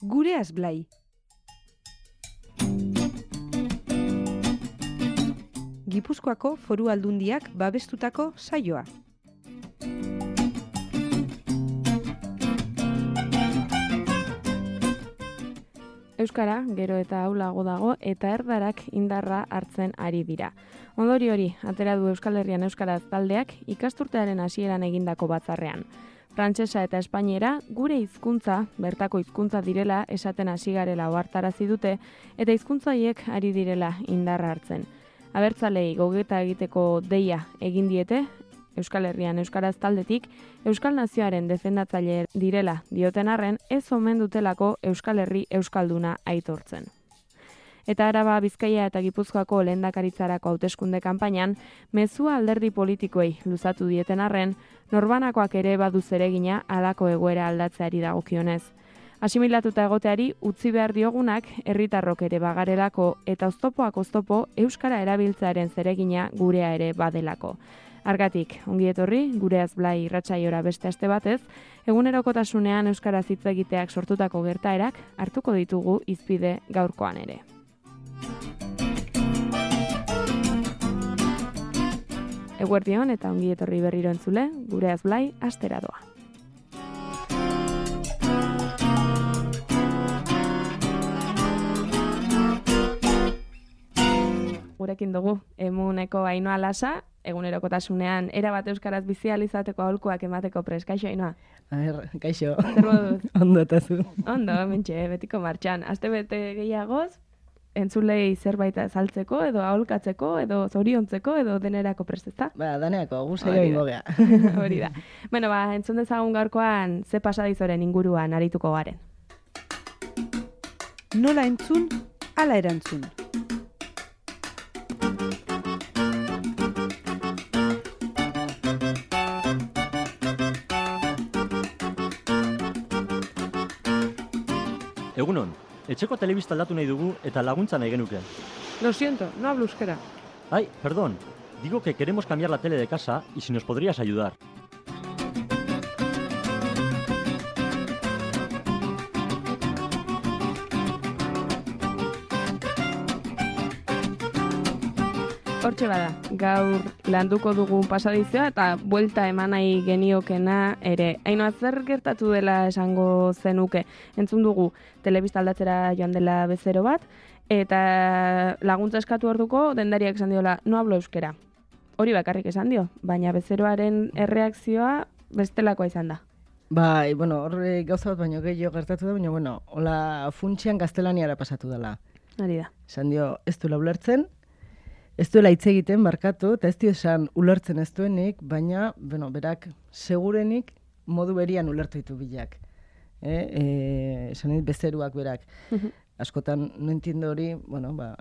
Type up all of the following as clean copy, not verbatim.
Gureaz Blai. Gipuzkoako Foru Aldundiak babestutako saioa. Euskara, gero eta ahulago dago, eta erdarak indarra hartzen ari dira. Ondori hori, atera du Euskal Herrian Euskaraz taldeak ikasturtearen hasieran egindako batzarrean. Frantsesa eta espainiera gure hizkuntza, bertako hizkuntza direla esaten hasi garela ohartarazi dute, eta hizkuntza haiek ari direla indarra hartzen. Abertzalei gogeta egiteko deia egin diete, Euskal Herrian Euskaraz taldetik, Euskal Nazioaren defendatzaile direla dioten arren, ez omen dutelako Euskal Herri Euskalduna aitortzen. Eta Araba, Bizkaia eta Gipuzkoako lehendakaritzarako hauteskunde kanpainan, mezua alderdi politikoei luzatu dieten arren, norbanakoak ere badu zeregina halako egoera aldatzeari dagokionez. Asimilatuta egoteari utzi behar diogunak herritarrok ere bagarelako eta oztopoak oztopo euskara erabiltzearen zeregina gurea ere badelako. Argatik, ongi etorri, Gureaz Blai irratsaiora beste aste batez, egunerokotasunean euskaraz hitz egiteak sortutako gertaerak hartuko ditugu hizpide gaurkoan ere. Eguerdion eta ongi etorri berriro entzule, Gureaz Blai astera doa. Gurekin dugu, emuneko Ainhoa Lasa, egunerokotasunean erabat euskaraz bizi ahal izateko aholkuak emateko prest. Kaixo, Ainhoa? Kaixo. Zer moduz? Ondo eta zu. Ondo, mentxe, betiko martxan. Astebete gehiagoz, entzulei zerbait azaltzeko, edo aholkatzeko, edo zoriontzeko, edo denerako prest, ezta? Daneako, guztia ingo gea. Hori da. Bueno, entzun dezagun gaurkoan ze pasadizoren inguruan arituko garen. Nola entzun, ala erantzun. Egunon, etxeko telebista aldatu nahi dugu eta laguntza nahi genuke. Lo siento, no hablo euskera. Ay, perdón, digo que queremos cambiar la tele de casa y si nos podrías ayudar. Hortxe bada, gaur landuko dugun pasadizioa eta buelta eman nahi geniokena ere. Ainhoa, zer gertatu dela esango zenuke? Entzun dugu telebista aldatzera joan dela bezero bat, eta laguntza eskatu orduko dendariak esan diola, no hablo euskera. Hori bakarrik esan dio, baina bezeroaren erreakzioa bestelakoa izan da. Bai, horre gauza bat baino gehiago gertatu da, baina, hola funtsian gaztelaniara pasatu dela. Hori da. Esan dio, ez duela ulertzen, ez duela hitz egiten barkatu, eta ez dio esan ulertzen ez duenik, baina, berak segurenik modu berian ulertu ditu bilak. Esan dit bezeruak berak. Askotan no entiendo hori,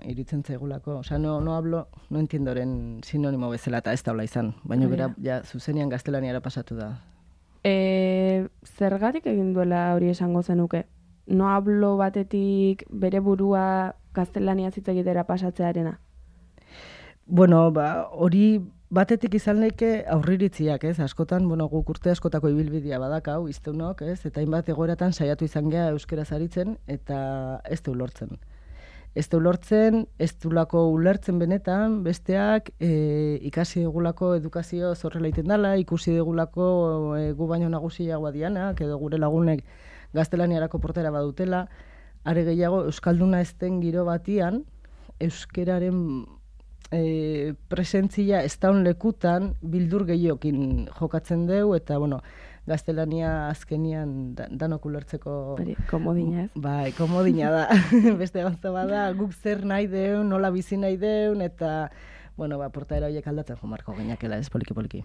iritzen zaigulako. Osea, no hablo, no entiendoren sinonimo bezala eta ez daula izan. Baina bera, zuzenean gaztelaniara pasatu da. Zergatik egin duela hori esango zenuke? No hablo batetik bere burua gaztelania hitz egitera pasatzearena? Hori batetik izan leke aurriritziak, ez? Askotan, guk urte askotako ibilbidea badakau, izteunok, ez? Eta hainbat egoeratan saiatu izan gea euskaraz aritzen, eta ez du lortzen. Ez du lortzen, ez dulako ulertzen benetan, besteak ikasi dugulako edukazio zorrela iten dela, ikusi dugulako gu baino nagusiagoa dianak, edo gure lagunek gaztelaniarako portera badutela, are gehiago euskalduna ez den giro batian, euskeraren presentzia ez daun lekutan bildur gehiokin jokatzen deu, eta, gaztelania azkenian danok ulertzeko... Komodina ez? Bai, komodina da. Beste gauza bada, guk zer nahi deun, nola bizi nahi deun, eta, portaera horiek aldatzen jomarko gainakela, ez poliki-poliki.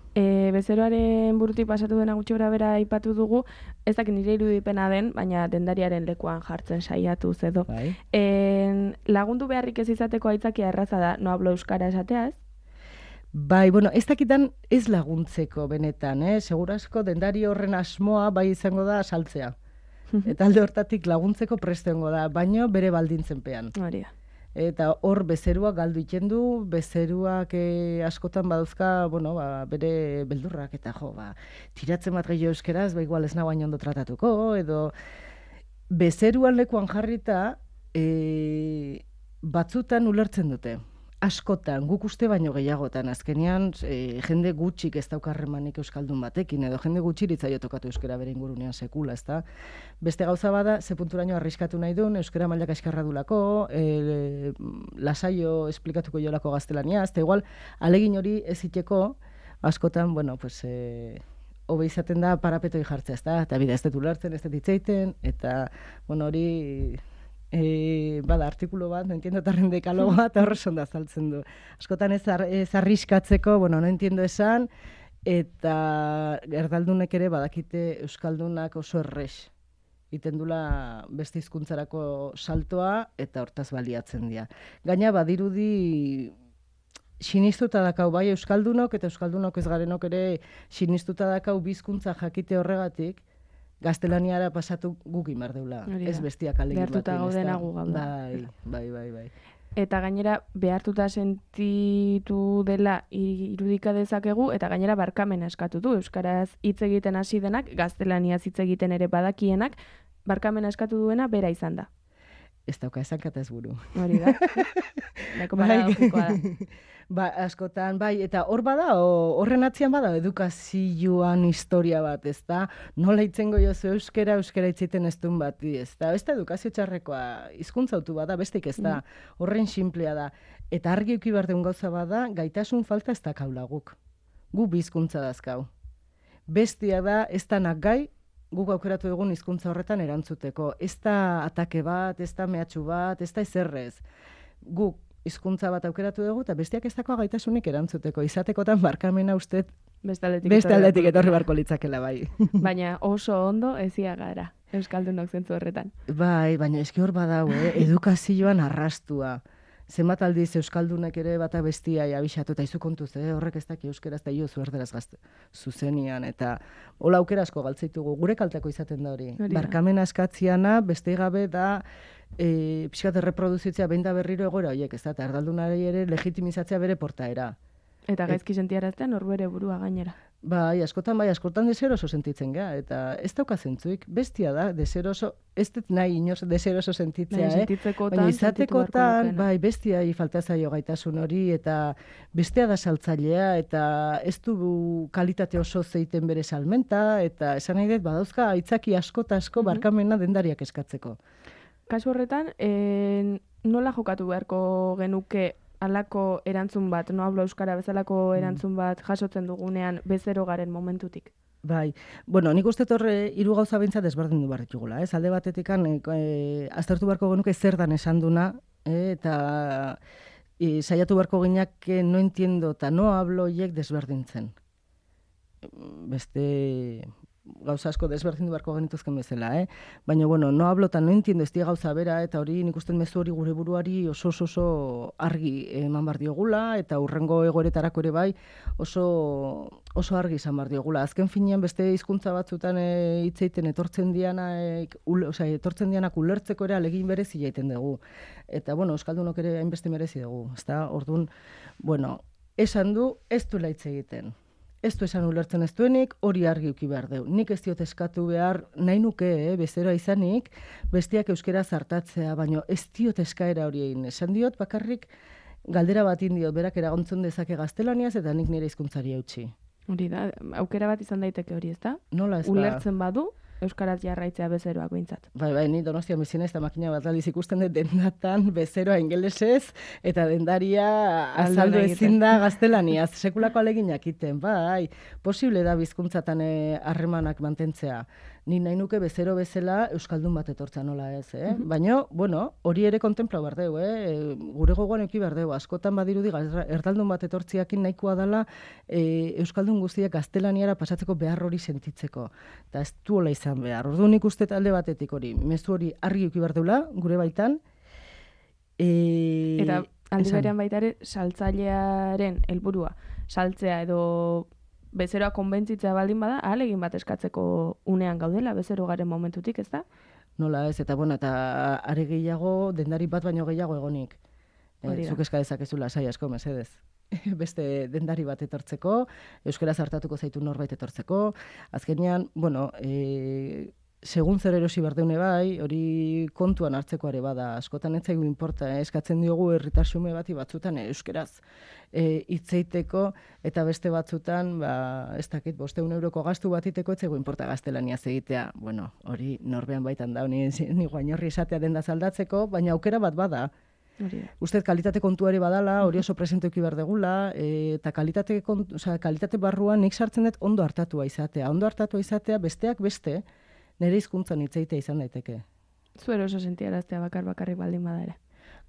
Bezeroaren burutik pasatu dena gutxi bera aipatu dugu, ez dakit nire irudipena den, baina dendariaren lekuan jartzen saiatu edo. Bai. Lagundu beharrik ez izateko aitzakia erraza da, no hablo euskara esatea ez? Bai, ez dakitan ez laguntzeko benetan, segurasko dendari horren asmoa bai izango da saltzea. Eta alde hortatik laguntzeko prestengo da, baino bere baldintzenpean. Hori da. Eta hor bezeruak galdu iten du, bezeruak askotan badauzka, bere beldurrak, eta tiratzen bat gehiago euskeraz, igual ez nagoain ondo tratatuko, edo bezeruan lekuan jarrita, batzutan ulertzen dute. Askotan, guk uste baino gehiagotan, azkenean jende gutxik ez daukarremanik euskaldun batekin, edo jende gutxiritzaio tokatu euskara bere ingurunean sekula, ezta? Beste gauza bada, ze punturaino arriskatu nahi duen, euskara mailak eskarra dulako, lasaio esplikatuko jolako gaztelania, ezta igual, alegin hori ez iteko, askotan, bueno, pues, hobe izaten da parapetoi jartzea, ezta? Eta bida, ez dut ulertzen, ez dut hitzeiten, eta, bueno, hori... bada, artikulu bat, no entiendo tarren dekalogoa, eta horre sonda azaltzen du. Askotan ez arriskatzeko, bueno, no entiendo esan, eta erdaldunek ere badakite euskaldunak oso errex. Iten dula beste hizkuntzarako saltoa, eta hortaz baliatzen dira. Gaina badirudi sinistuta dakau bai euskaldunok, eta euskaldunok ez garenok ere sinistuta dakau bizkuntza jakite horregatik, gaztelaniara pasatu guk imar deula. Ez bestiak alegin batean. Behartuta gaudena gu gauda. Bai. Eta gainera, behartuta sentitu dela irudika dezakegu, eta gainera barkamena eskatu du. Euskaraz hitz egiten hasi denak, gaztelaniaz hitz egiten ere badakienak, barkamena eskatu duena bera izan da. Ez dauka esankata ez buru. Hori da. Nahiko paradogikoa da. Ba, askotan, bai, eta hor bada, horren atzian bada, edukazioan historia bat, ez da? Nola itzengo jozu euskera itziten ez duen bat, ez da? Ez da edukazio txarrekoa, hizkuntzautu bada, bestik ez da, horren simplea da. Eta argi uki behar deun gauza bada, gaitasun falta ez da kaulaguk. Gu bizkuntza dazkau. Bestia da, ez da gai, guk aukeratu egun hizkuntza horretan erantzuteko. Ez da atake bat, ez da mehatxu bat, ez da ezerrez. Guk hizkuntza bat aukeratu dugu, eta bestiak ez dakoa gaitasunik erantzuteko. Izatekotan barkamena uste beste aldetik etorri barko litzakela, bai. Baina oso ondo ezia gara, euskaldunok zentzu horretan. Bai, baina eski hor badau, edukazioan arrastua. Zenbat aldiz euskaldunek ere bata bestia abixatu, eta izu kontuz, horrek ez daki euskeraz eta iozu erderaz gazte zuzenian, eta hola aukera asko galtzeitugu, gure kalteko izaten da hori. Barkamena eskatziana, beste gabe da, pixkat erreproduzitzea behin da berriro egoera horiek, ez da, eta erdaldunari ere legitimizatzea bere portaera. Eta gaizki sentiarazten horbere burua gainera. Bai, askotan deseroso sentitzen gara, eta ez dauka zentzuik, bestia da, deseroso, ez dut nahi inoz deseroso sentitzea, baina izatekotan, bai, bestia falta zaio gaitasun hori, eta bestia da saltzailea, eta ez du kalitate oso zeiten bere salmenta, eta esan nahi dut, badauzka, aitzaki asko barkamena dendariak eskatzeko. Kasu horretan, nola jokatu beharko genuke halako erantzun bat, no hablo euskara bezalako erantzun bat jasotzen dugunean bezero garen momentutik? Bai, bueno, nik uste torre hiru gauza behintzat desberdindu behar ditugula, ez? Alde batetikan aztertu beharko genuke zer dan esan duna, eta saiatu beharko ginak no entiendo eta no hablo hiek desberdintzen. Beste gauza asko desberdindu beharko genituzken bezala, Baina, bueno, no hablo eta no entiendo ez gauza bera, eta hori nik usten mezu hori gure buruari oso argi eman bar diogula, eta hurrengo egoeretarako ere bai oso argi izan bar diogula. Azken finean beste hizkuntza batzutan hitzeiten etortzen dianak ulertzeko ere alegin berezi jaiten dugu. Eta, bueno, euskaldunok ere hainbeste merezi dugu, ezta? Orduan, bueno, esan du ez duela hitz egiten. Ez du esan ulertzen ez duenik, hori argi uki behar deu. Nik ez diot eskatu behar, nahi nuke, bezeroa izanik, bestiak euskera zartatzea, baina ez diot eskaera hori egin. Esan diot, bakarrik galdera bat indiot, berak eragontzen dezake gaztelaniaz, eta nik nire hizkuntzari eutsi. Hori da, aukera bat izan daiteke hori, ez da? Nola ez ba? Ulertzen badu, euskaraz jarraitzea bezeroak behintzat. Bai, ni Donostian bizien ez da makina bat aldiz ikusten dut dendatan bezeroa ingelesez, eta dendaria azaldu ezin da gaztelaniaz, sekulako aleginak iten, bai, posible da bizkuntzatan harremanak mantentzea. Ni nahi nuke bezero bezala euskaldun bat etortza nola ez, Baina, bueno, hori ere kontemplau behar deu, Gure gogoan eki behar deu, askotan badirudi erdaldun bat etortziakin nahikoa dela euskaldun guztiak gaztelaniara pasatzeko behar hori sentitzeko. Eta ez duela izan behar. Orduan ikuste talde batetik hori, mezu hori argi eki behar deula, gure baitan. Eta aldi berean baita ere, saltzailearen helburua, saltzea edo bezeroa konbentzitzea baldin bada, ahalegin bat eskatzeko unean gaudela, bezero garen momentutik, ez da? Nola ez, eta bueno, eta are gehiago, dendari bat baino gehiago egonik. Zuk eska dezakezula sai asko, mesedez. Beste dendari bat etortzeko, euskara zartatuko zaitu norbait etortzeko. Azkenean, bueno, segun zer erosi berdeune bai, hori kontuan hartzeko ere bada, askotan ez zaigu inporta, eskatzen diogu herritar xume bati batzutan euskeraz hitzeiteko eta beste batzutan, ez dakit, 500 euroko gastu bat iteko ez zaigu inporta gaztelaniaz egitea. Bueno, hori norbean baitan da, ni guainorri esatea denda zaldatzeko, baina aukera bat bada. Uste kalitate kontuari badala, hori oso presenteuki behar degula, eta kalitate barruan nik sartzen dut ondo hartatua izatea. Ondo hartatua izatea besteak beste, nire hizkuntzan hitzeitea izan daiteke. Zuero oso sentiaraztea bakarrik baldin bada ere.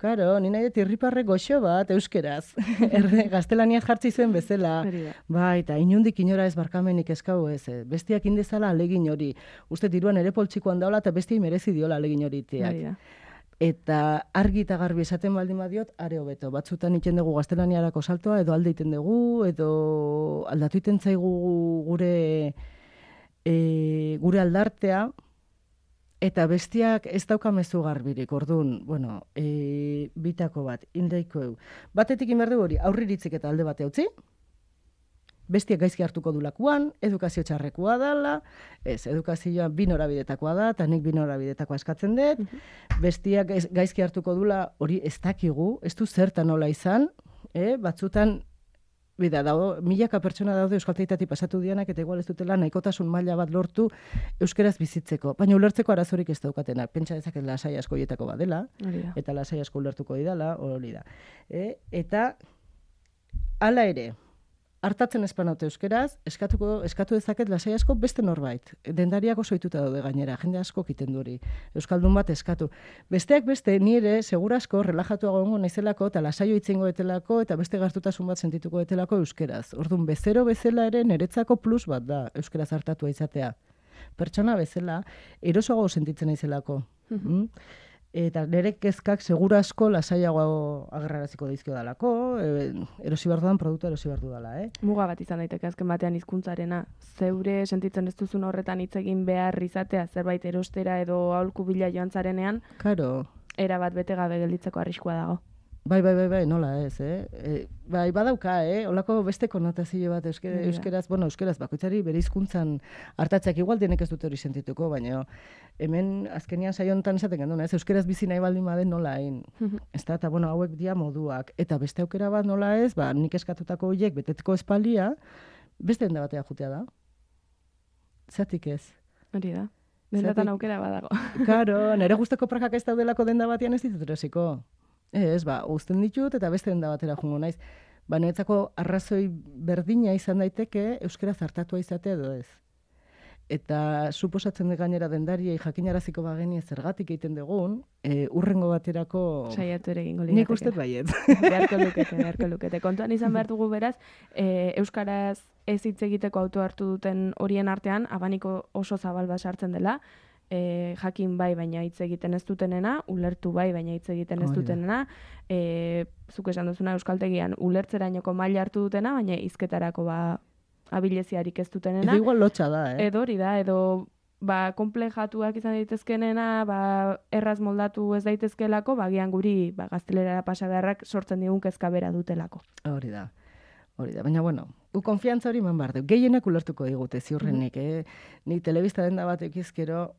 Karo, nina dut irriparre goxo bat euskeraz. Gaztelaniaz jartzi zuen bezala. Bai, eta inundik inora ez barkamenik eskau ez. Bestiak indezala alegin hori. Uste diruan ere poltsikoan daula eta bestiai merezi diola alegin hori iteak. Eta argi eta garbi esaten baldin badiot, are hobeto. Batzutan iten dugu gaztelaniarako saltoa, edo alde iten dugu, edo aldatu iten zaigu gure aldartea, eta bestiak ez daukamezu garbirik, orduan, bueno, bitako bat, indaiko eu. Batetik inberdu hori, aurriritzik eta alde bate utzi, bestiak gaizki hartuko dulakuan, edukazio txarrekoa dela, edukazioa bi norabidetakoa da, eta nik bi norabidetakoa eskatzen dut, bestiak gaizki hartuko dula, hori ez dakigu, ez du zertan nola izan, batzutan, milaka pertsona daude euskaltegietatik pasatu dianak, eta igual ez dutela nahikotasun maila bat lortu euskeraz bizitzeko. Baina ulertzeko arazorik ez daukatenak. Pentsa dezaket lasai asko hietako badela, eta lasai asko ulertuko didala, hori da. Eta, hala ere, hartatzen espanaute euskeraz, eskatu dezaket lasai asko beste norbait. Dendariak oso ohituta daude gainera, jende asko egiten du hori. Euskaldun bat eskatu. Besteak beste, ni ere, segurasko, relajatuago egongo naizelako, eta lasaio itzengo etelako, eta beste gertutasun bat sentituko etelako euskeraz. Orduan, bezero bezala ere niretzako plus bat da euskeraz hartatua izatea. Pertsona bezala, erosoago sentitzen naizelako. Eta nire kezkak segurasko lasaiago agerraraziko daizkio dalako, erosi behar dudan produktu erosi behar dudala, Muga bat izan daiteke azken batean hizkuntzarena, zeure sentitzen ez duzun horretan hitz egin behar izatea, zerbait erostera edo aholku bila joan zarenean, Karo. Era bat bete gabe gelditzeko arriskua dago. Bai, nola ez, Bai, badauka, Olako beste konotazio bat euskeraz, euskeraz bakoitzari bere hizkuntzan hartatzeak igual denek ez dute hori sentituko, baina hemen azkenian saio honetan esaten genduna, euskeraz bizi nahi baldin baden nola hain. Eta hauek dia moduak, eta beste aukera bat nola ez, nik eskatutako horiek beteteko espalia, beste denda batea jutea da. Zatik ez. Hori da. Dendatan aukera badago. Karo, nire guzteko prakak ez daudelako denda batean ez ditut erosiko. Uzten ditut eta beste denda batera jungo naiz. Niretzako arrazoi berdina izan daiteke euskeraz hartatua izatea edo ez. Eta suposatzen gainera dendariei jakinaraziko bageni zergatik egiten dugun, urrengo baterako saiatu ere egingo lirateke. Nik uste baiet. Beharko lukete. Kontuan izan behar dugu beraz, euskaraz ez hitz egiteko auto hartu duten horien artean, abaniko oso zabal bat sartzen dela, jakin bai baina hitz egiten ez dutenena, ulertu bai baina hitz egiten ez dutenena, zuk esan duzuna euskaltegian ulertzerainoko maila hartu dutena, baina hizketarako abileziarik ez dutenena. Edo igual lotxa da, Edo hori da, edo komplejatuak izan daitezkenena, erraz moldatu ez daitezkelako, bagian guri gaztelerara pasa beharrak sortzen digun kezka bera dutelako. Hori da. Baina, konfiantza hori eman behar du. Gehienak ulertuko digute, ziurrenik, Ni telebista denda bat ekizkero,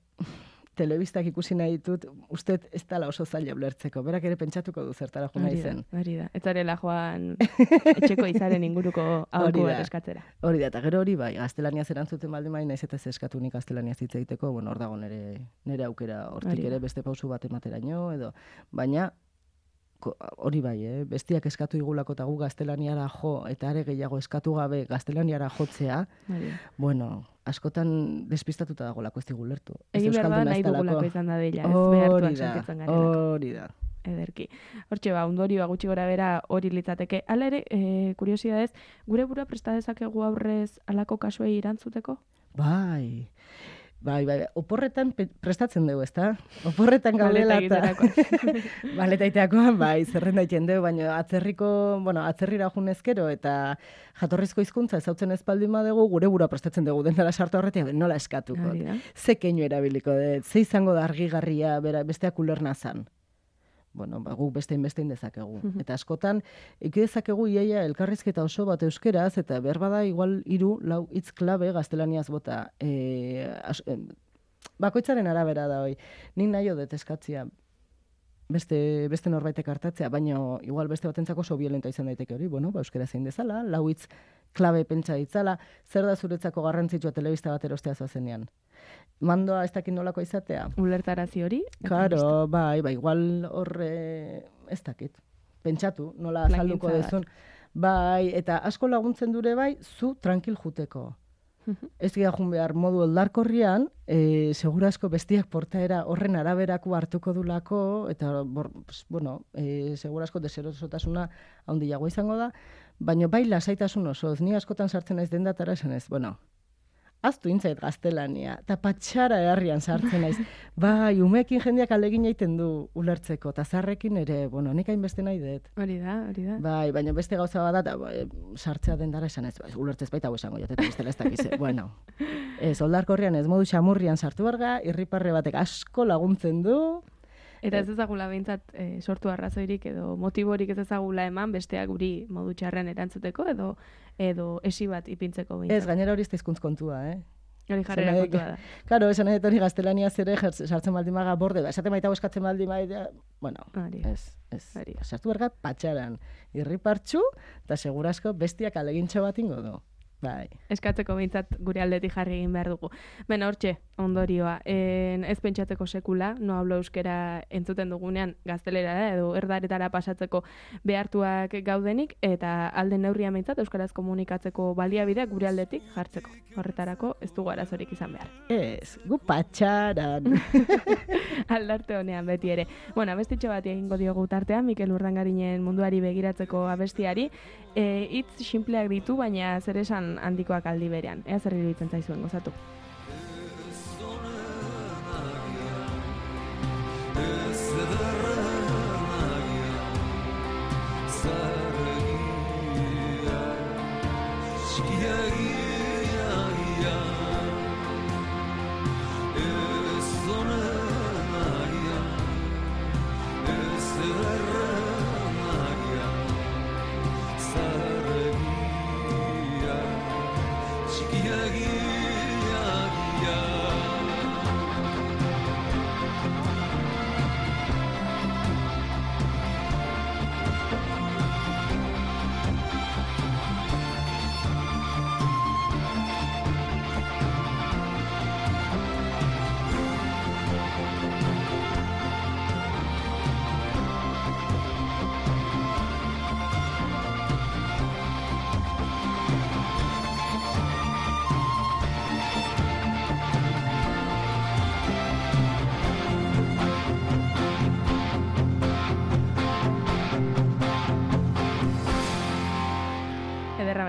telebistak ikusi nahi ditut, uste ez dela oso zaila ulertzeko. Berak ere pentsatuko du zertara jo nahi zen. Hori da. Ez zarela joan etxeko izaren inguruko aholku bat eskatzera. Hori da, eta gero hori bai, gaztelaniaz erantzuten baldin bai, naiz eta ez eskatu nik gaztelaniaz hitz egiteko, hor dago nire aukera, hortik ere beste pausu bat emateraino, edo, baina, hori bai, bestiak eskatu igulako eta gu gaztelaniara jo, eta are gehiago eskatu gabe gaztelaniara jotzea, askotan despistatuta dagolako ez digu lertu. Egin behar da nahi dugulako izan da dela, ez behartuak sentitzen garelako. Hori da. Ederki. Hortxe, ondorioa gutxi gora bera hori litzateke. Hala ere, kuriosidadez, gure burua presta dezakegu aurrez halako kasuei erantzuteko? Bai, oporretan prestatzen dugu, ezta? Oporretan gaudela eta... Baletaiteakoan, zerrenda egiten dugu, baina atzerrira junezkero eta jatorrizko hizkuntza ezautzen ez baldin badugu, gure burua prestatzen dugu, dendara sartu horretik, nola eskatuko. Ze keinu erabiliko dut, ze izango da argigarria besteak ulerna zan. Guk bestein dezakegu. Eta askotan, eki dezakegu iaia elkarrizketa oso bat euskeraz, eta behar bada igual 3-4 hitz klabe gaztelaniaz bota. bakoitzaren arabera da hoi. Nik nahi dut eskatzia beste norbaitek hartatzea, baina igual beste batentzako oso violenta izan daiteke hori, bueno, euskara zein dezala, lau hitz klabe pentsa ditzala, zer da zuretzako garrantzitsua telebista bat erostea zoazenean. Mandoa ez dakit nolako izatea? Ulertarazi hori? Karo, bai, igual horre ez dakit. Pentsatu, nola azalduko dezun. Bai, eta asko laguntzen dure bai, zu tranquil juteko. Ez gira jun behar modu oldarkorrian, segurasko bestiak portaera horren araberako hartuko dulako, eta, segurasko deserosotasuna handiago izango da, baina bai lasaitasun osoz, ni askotan sartzen naiz dendatara esan ez, aztu intzait gaztelania, eta patxara herrian sartzen naiz. Bai, umeekin jendeak alegin egiten du ulertzeko, eta zarrekin ere, nik hainbeste nahi dut. Hori da. Bai, baina beste gauza bat da, sartzea dendara esan ez, ulertzez baita hau esango jateta bestela ez dakize. Ez, oldarkorrian ez modu xamurrian sartu berga, irriparre batek asko laguntzen du. Eta ez ezagula behintzat sortu arrazoirik edo motiborik ez ezagula eman besteak guri modu txarren erantzuteko edo esi bat ipintzeko behintzat. Ez, gainera hori ez da hizkuntz kontua, Hori jarrera kontua da. Karo, esan edo hori gaztelaniaz ere sartzen baldin maga borde, esaten baita eskatzen baldin maga, ez. Sartu berga patxaran, irripartxu, eta segurasko bestiak alegintxo bat ingo du. Bai. Eskatzeko behintzat gure aldetik jarri egin behar dugu. Hortxe, ondorioa. Ez pentsatzeko sekula, no hablo euskera entzuten dugunean gaztelera da, edo erdaretara pasatzeko behartuak gaudenik, eta alde neurria behintzat euskaraz komunikatzeko baliabideak gure aldetik jartzeko. Horretarako ez dugu arazorik izan behar. Ez, gu patxaran. Aldarte honean beti ere. Abestitxo bat egingo diogu tartean, Mikel Urdangarinen munduari begiratzeko abestiari. Hitz sinpleak ditu, baina zer esan handikoak aldi berean. Ea zer iruditzen zaizuen gozatu.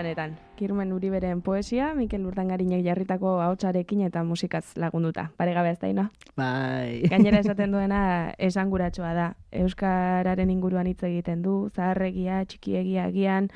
Benetan, Kirmen Uriberen poesia, Mikel Urdangarinek jarritako ahotsarekin eta musikaz lagunduta. Paregabe ez da, Bai. Gainera esaten duena esanguratsoa da. Euskararen inguruan hitz egiten du, zaharregia, txikiegia agian,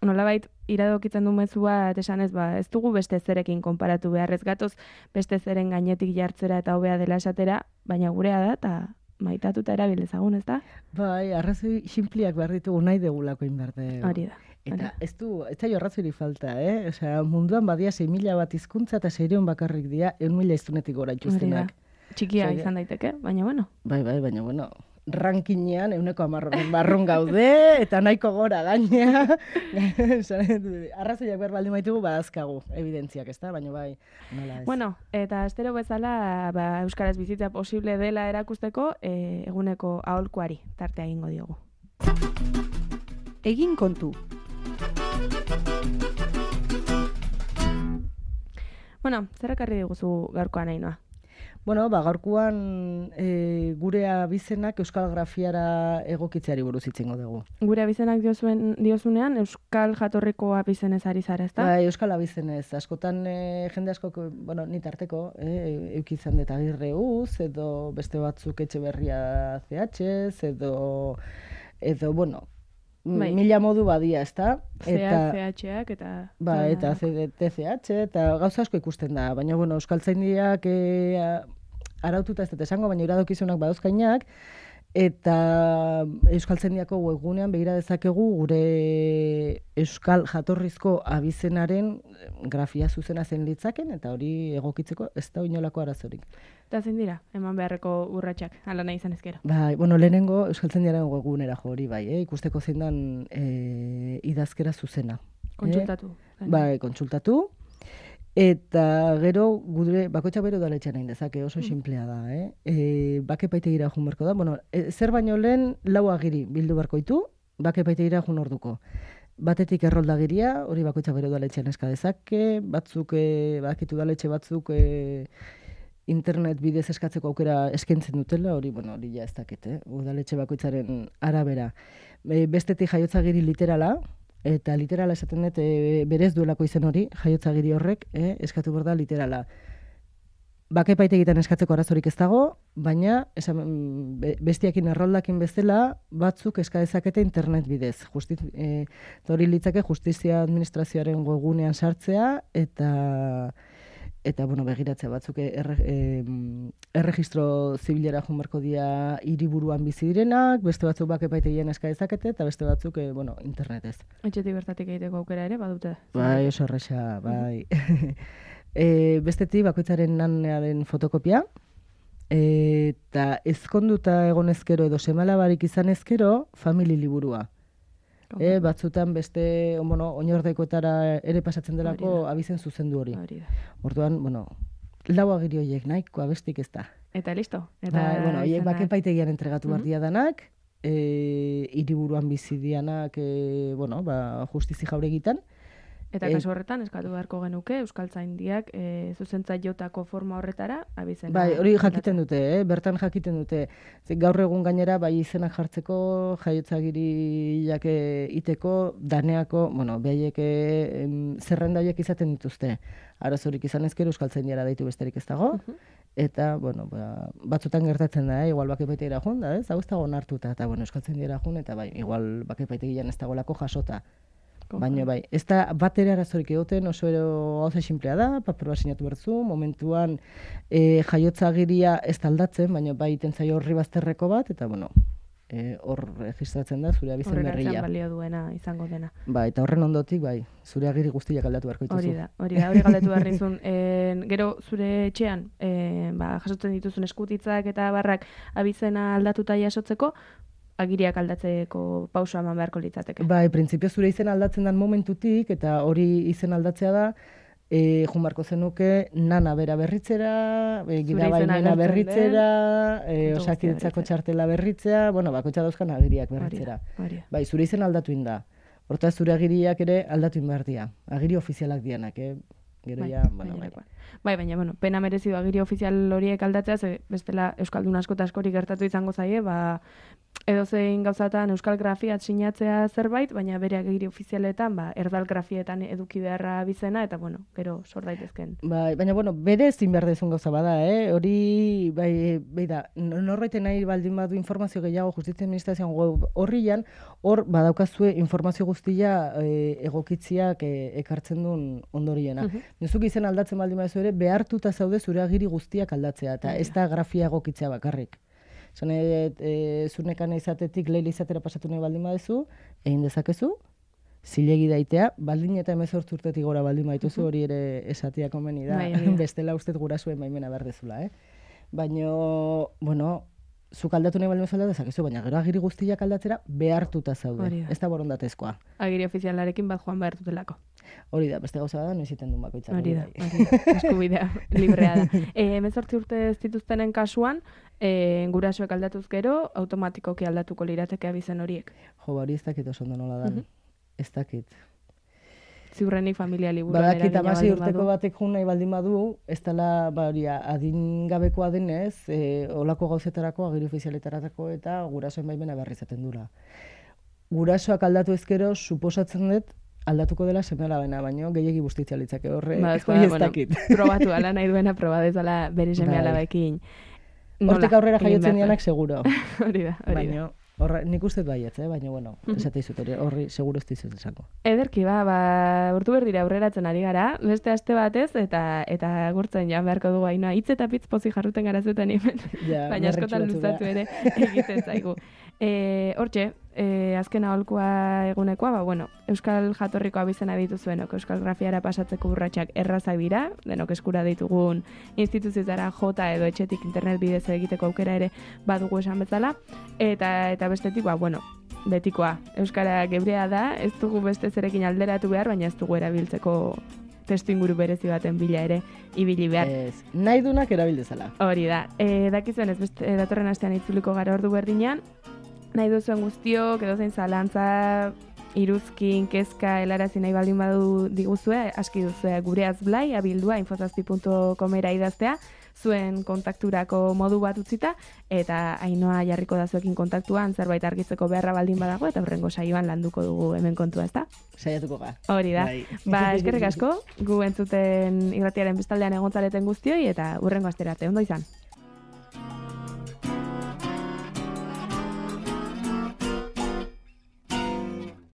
nolabait iradokitzen du mezu bat esanez, ez dugu beste zerekin konparatu beharrez gatoz, beste zeren gainetik jartzera eta hobea dela esatera, baina gurea da eta maitatuta erabil ezagun, ez da? Bai, arrazoi sinpliak behar ditugu nahi degulako inberde. Hori da. Eta ez zaio arrazoirik falta, Osea, munduan badia 6.000 bat hizkuntza eta 600 bakarrik dira 1.000 hiztunetik gora ituztenak. Txikia izan daiteke, baina bueno. Bai, baina rankinean 110 barrun gaude eta nahiko gora gainea. Arrazoiak behar baldin baitugu badazkagu, evidentziak, ezta? Baina bai, nola ez. Bueno, eta astero bezala euskaraz bizitza posible dela erakusteko eguneko aholkuari tartea egingo diogu. Egin kontu. Zer ekarri diguzu gaurkoan Ainhoa? Gaurkoan gure abizenak euskal grafiara egokitzeari buruz hitzingo dugu. Gure abizenak diozunean euskal jatorriko abizenez ari zara, ezta? Bai, euskal abizenez. Askotan jende askok, ni tarteko, eukizan dut Agirreuz, edo beste batzuk Etxeberria CHz, edo mila modu badia, ezta? CHak eta... Ba, eta TCH, eta gauza asko ikusten da. Baina, euskaltzaindiak araututa ez dut esango, baina iradokizunak badauzkainak, Eta Euskaltzaindiako webgunean begira dezakegu gure euskal jatorrizko abizenaren grafia zuzena zen litzaken, eta hori egokitzeko ez da inolako arazorik. Eta zein dira, eman beharreko urratsak, ala nahi izan ezkero. Bai, bueno, lehenengo Euskaltzaindiaren webgunera jo hori bai, ikusteko zein dan idazkera zuzena. Kontsultatu. Bai, kontsultatu. Eta gero gure bakoitzak bere udaletxean egin dezake, oso sinplea da, bake epaitegira joan beharko da. Bueno, zer baino lehen 4 agiri bildu beharko ditu, bake epaitegira joan orduko. Batetik erroldagiria, hori bakoitzak bere udaletxean eska dezake, batzuk bakitu udaletxe batzuk internet bidez eskatzeko aukera eskaintzen dutela, hori ja ez dakit, udaletxe bakoitzaren arabera. Bestetik jaiotzagiri literala, eta literala esaten dut berez duelako izen hori, jaiotzagiri horrek, eskatu behar da literala. Bake epaitegietan eskatzeko arazorik ez dago, baina bestiakin erroldakin bezala batzuk eska dezakete internet bidez. Hori litzake justizia administrazioaren webgunean sartzea eta bueno, begiratzea batzuk erregistro zibilera joan beharko dira hiriburuan bizi direnak, beste batzuk bake epaitegien eska dezakete eta beste batzuk internetez. Etxetik bertatik egiteko aukera ere badute. Bai, oso erresa, bai. Bestetik bakoitzaren nanearen fotokopia, eta ezkonduta egon ezkero edo semalabarik izan ezkero famili liburua. Batzutan beste oinordekoetara ere pasatzen delako abizen zuzendu hori. Orduan, 4 agiri horiek nahikoa bestik ez da. Eta listo. Horiek bake epaitegian entregatu behar diadanak, hiriburuan bizi dianak, justizi jauregitan. Eta kasu horretan, eskatu beharko genuke, Euskaltzaindiak zuzentzaileotako forma horretara abizena. Bai, hori jakiten dute, bertan jakiten dute. Gaur egun gainera, bai izenak jartzeko, jaiotzagiriak iteko, daneako, behaiek zerrenda horiek izaten dituzte. Arazorik izan ezkero Euskaltzaindiara deitu besterik ez dago. Eta, batzutan gertatzen da, igual bake epaitegira joan, da, ez? Hau ez dago onartuta, eta, Euskaltzaindiara joan, eta bai, igual bake epaitegian ez dagolako jasota. Baina bai, ez da bat ere arazorik egoten, oso gauza sinplea da, paper bat sinatu bertzu, momentuan jaiotzagiria ez da aldatzen, baina bai iten zaio horri bazterreko bat, eta hor registratzen da zure abizen berria. Horregatzen balio duena izango dena. Bai, eta horren ondotik, bai, zure agiri guztiak aldatu beharko dituzu. Hori galdetu behar nizun. Gero zure etxean, jasotzen dituzun eskutitzak eta barrak abizena aldatuta jasotzeko, agiriak aldatzeko pausoa eman beharko litzateke. Bai, printzipio zure izen aldatzen den momentutik, eta hori izen aldatzea da, joan beharko zenuke nana bera berritzera, gidabaimena berritzera, osakidetzako txartela berritzea, bakoitza dauzkan agiriak berritzera. Bai, zure izen aldatu inda. Hortaz zure agiriak ere aldatu behar dira. Agiri ofizialak dianak, gero ja, Bai, baina, pena merezidu agiri ofizial horiek aldatzea, bestela Euskaldun asko eta askori gertatu izango zaie, edozein gauzatan euskal grafiat sinatzea zerbait, baina bere agiri ofizialetan, erdal grafietan eduki beharra bizena, eta, gero sor daitezken. Bai, baina, bere ezin behar dezun gauza bada, hori, bai da, norbaiten nahi baldin badu informazio gehiago justizia administrazioan web horrian, hor badaukazue informazio guztia egokitziak ekartzen duen ondoriena. Nezuk izen aldatzen baldin baduzu ere, behartuta zaude zure agiri guztiak aldatzea, eta ez da grafia egokitzea bakarrik. Zunekan izatetik leile izatera pasatu nahi baldin baduzu, egin dezakezu, zilegi daitea, baldin eta 18 urtetik gora baldin baituzu, hori ere esatia komeni da, bestela ustez gurasuen baimena behar dezula. Baina, zuk aldatu nahi baldin bezala dezakezu, baina gero agiri guztiak aldatzera behartuta zaude, ez da borondatezkoa. Agiri ofizialarekin bat joan behar dutelako. Hori da, beste gauza da, noiz iten duen bakoitzak. Hori da, eskubidea, librea da. 18 urte ez dituztenen kasuan, gurasoek aldatuz gero, automatikoki aldatuko lirateke abizen horiek. Hori ez dakit oso ondo nola da, ez dakit. Ziurrenik familia liburuan eragina badakit 16 urteko batek jun nahi baldin badu, ez dela adingabekoa denez, olako gauzetarako, agiri ofizialetarako eta gurasoen baimena behar izaten dura. Gurasoak aldatu ezkero, suposatzen dut, aldatuko dela seme-alabena, baino gehiegi bustitzea litzake horre, ez dakit. Probatu ala nahi duena, probadezala bere seme-alabekin. Hortik aurrera jaiotzen dianak seguro. Hori da. Baina, Horra, nik uste baietz, baina, bueno, esate izut horri seguro ez dizut esango. Ederki, urtu berdira aurreratzen ari gara, beste aste batez, eta gurtzen joan beharko dugu Ainhoa. Hitz eta pitz pozik jarruten gara zuten hemen, Ja, baina askotan luzatu ere egiten zaigu. Hortxe, azken aholkua egunekoa, euskal jatorriko abizena dituzuenok, euskal grafiara pasatzeko urratsak errazak dira, denok eskura ditugun instituzioetara jota edo etxetik internet bidez egiteko aukera ere badugu esan bezala, eta bestetik, betikoa, euskara gebrea da, ez dugu beste zerekin alderatu behar, baina ez dugu erabiltzeko testu inguru berezi baten bila ere ibili behar. Nahi dunak erabildezala. Hori da, dakizuen ez beste datorren astean itzuliko gara ordu berdinean, nahi duzuen guztiok, edo zein zalantza, iruzkin, kezka, helarazi nahi baldin badu diguzue, aski duzue gure azblai, abildua, infozazpi.comera idaztea, zuen kontakturako modu bat utzita, eta Ainhoa jarriko da zuekin kontaktuan, zerbait argitzeko beharra baldin badago, eta horrengo saioan landuko dugu hemen kontua, ezta? Saiatuko ga. Hori da. Eskerrik asko, gu entzuten irratiaren bestaldean egontzaleten guztioi, eta hurrengo astera arte, ondo izan.